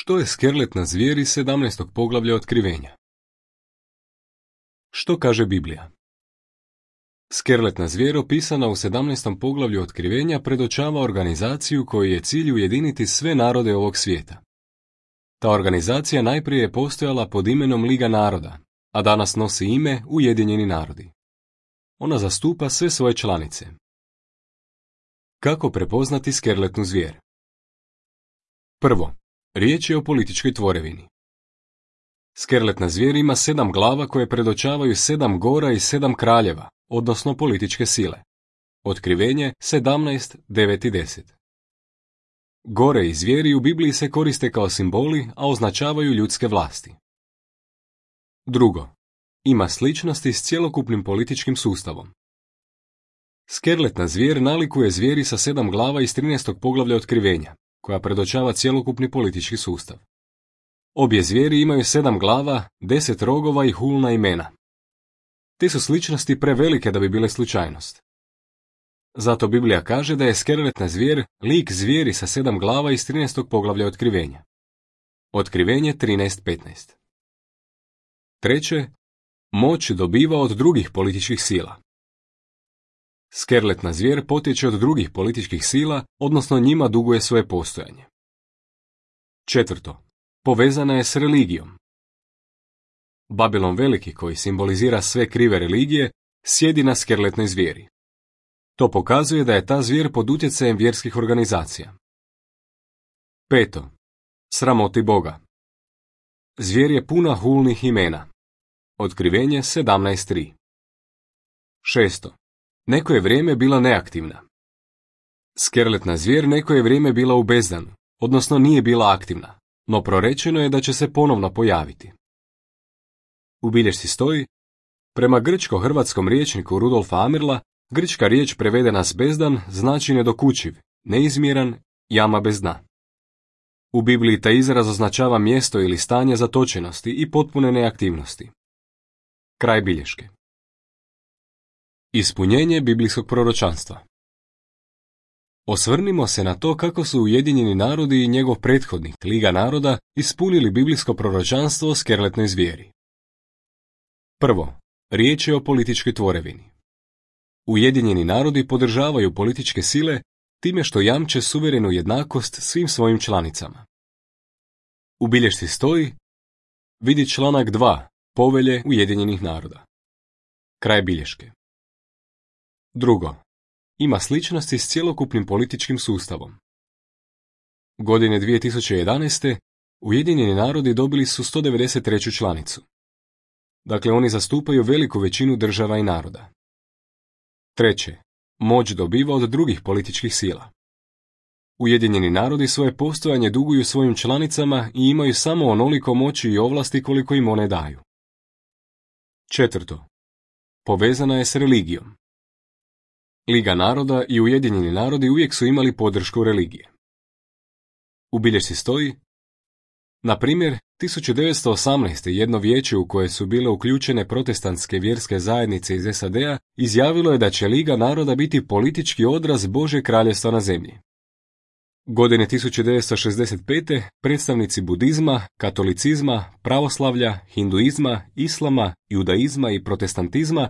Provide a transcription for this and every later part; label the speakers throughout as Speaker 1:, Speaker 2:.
Speaker 1: Što je skerletna zvijer iz 17. poglavlja Otkrivenja? Što kaže Biblija? Skerletna zvijer opisana u 17. poglavlju Otkrivenja predočava organizaciju kojoj je cilj ujediniti sve narode ovog svijeta. Ta organizacija najprije je postojala pod imenom Liga naroda, a danas nosi ime Ujedinjeni narodi. Ona zastupa sve svoje članice. Kako prepoznati skerletnu zvijer? Prvo, riječ je o političkoj tvorevini. Skerletna zvijer ima 7 glava koje predočavaju 7 gora i 7 kraljeva, odnosno političke sile. Otkrivenje 17, 9 i 10. Gore i zvijeri u Bibliji se koriste kao simboli, a označavaju ljudske vlasti. Drugo, ima sličnosti s cjelokupnim političkim sustavom. Skerletna zvijer nalikuje zvijeri sa 7 glava iz 13. poglavlja Otkrivenja, koja predočava cjelokupni politički sustav. Obje zvijeri imaju 7 glava, 10 rogova i hulna imena. Te su sličnosti prevelike da bi bile slučajnost. Zato Biblija kaže da je skerletna zvijer lik zvijeri sa 7 glava iz 13. poglavlja Otkrivenja. Otkrivenje 13.15. Treće, moć dobiva od drugih političkih sila. Skerletna zvijer potječe od drugih političkih sila, odnosno njima duguje svoje postojanje. Četvrto, povezana je s religijom. Babilon Veliki, koji simbolizira sve krive religije, sjedi na skerletnoj zvijeri. To pokazuje da je ta zvijer pod utjecajem vjerskih organizacija. Peto, sramoti Boga. Zvijer je puna hulnih imena. Otkrivenje 17.3. Šesto, neko je vrijeme bila neaktivna. Skerletna zvijer neko je vrijeme bila u bezdanu, odnosno nije bila aktivna, no prorečeno je da će se ponovno pojaviti. U bilješci stoji, prema grčko-hrvatskom rječniku Rudolfa Amirla, grčka riječ prevedena s bezdan znači nedokučiv, neizmjeran, jama bez dna. U Bibliji taj izraz označava mjesto ili stanje zatočenosti i potpune neaktivnosti. Kraj bilješke. Ispunjenje biblijskog proročanstva. Osvrnimo se na to kako su Ujedinjeni narodi i njegov prethodnik, Liga naroda, ispunili biblijsko proročanstvo o skerletnoj zvijeri. Prvo, riječ je o političkoj tvorevini. Ujedinjeni narodi podržavaju političke sile time što jamče suverenu jednakost svim svojim članicama. U bilješci stoji, vidi članak 2, Povelje Ujedinjenih naroda. Kraj bilješke. Drugo, ima sličnosti s cjelokupnim političkim sustavom. Godine 2011. Ujedinjeni narodi dobili su 193. članicu. Dakle, oni zastupaju veliku većinu država i naroda. Treće, moć dobiva od drugih političkih sila. Ujedinjeni narodi svoje postojanje duguju svojim članicama i imaju samo onoliko moći i ovlasti koliko im one daju. Četvrto, povezana je s religijom. Liga naroda i Ujedinjeni narodi uvijek su imali podršku religije. U bilješci stoji, na primjer, 1918. jedno vijeće u koje su bile uključene protestantske vjerske zajednice iz SAD-a izjavilo je da će Liga naroda biti politički odraz Božjeg kraljevstva na zemlji. Godine 1965. predstavnici budizma, katolicizma, pravoslavlja, hinduizma, islama, judaizma i protestantizma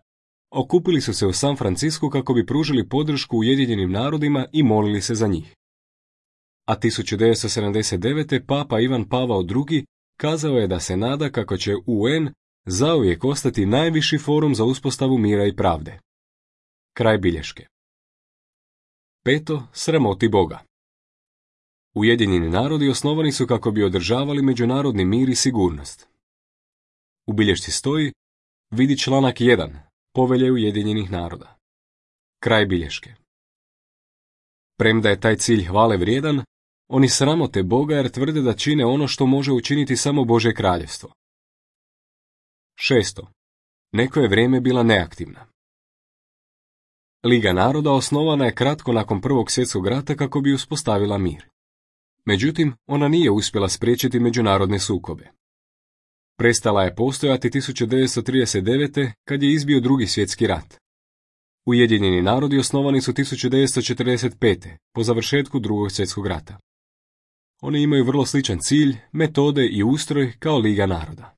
Speaker 1: okupili su se u San Francisku kako bi pružili podršku Ujedinjenim narodima i molili se za njih. A 1979. Papa Ivan Pavao II. Kazao je da se nada kako će UN zauvijek ostati najviši forum za uspostavu mira i pravde. Kraj bilješke. Peto, sramoti Boga. Ujedinjeni narodi osnovani su kako bi održavali međunarodni mir i sigurnost. U bilješci stoji, vidi članak 1, Povelje Ujedinjenih naroda. Kraj bilješke. Premda je taj cilj hvale vrijedan, oni sramote Boga jer tvrde da čine ono što može učiniti samo Božje kraljevstvo. Šesto, neko je vrijeme bila neaktivna. Liga naroda osnovana je kratko nakon Prvog svjetskog rata kako bi uspostavila mir. Međutim, ona nije uspjela spriječiti međunarodne sukobe. Prestala je postojati 1939. kad je izbio Drugi svjetski rat. Ujedinjeni narodi osnovani su 1945. po završetku Drugog svjetskog rata. Oni imaju vrlo sličan cilj, metode i ustroj kao Liga naroda.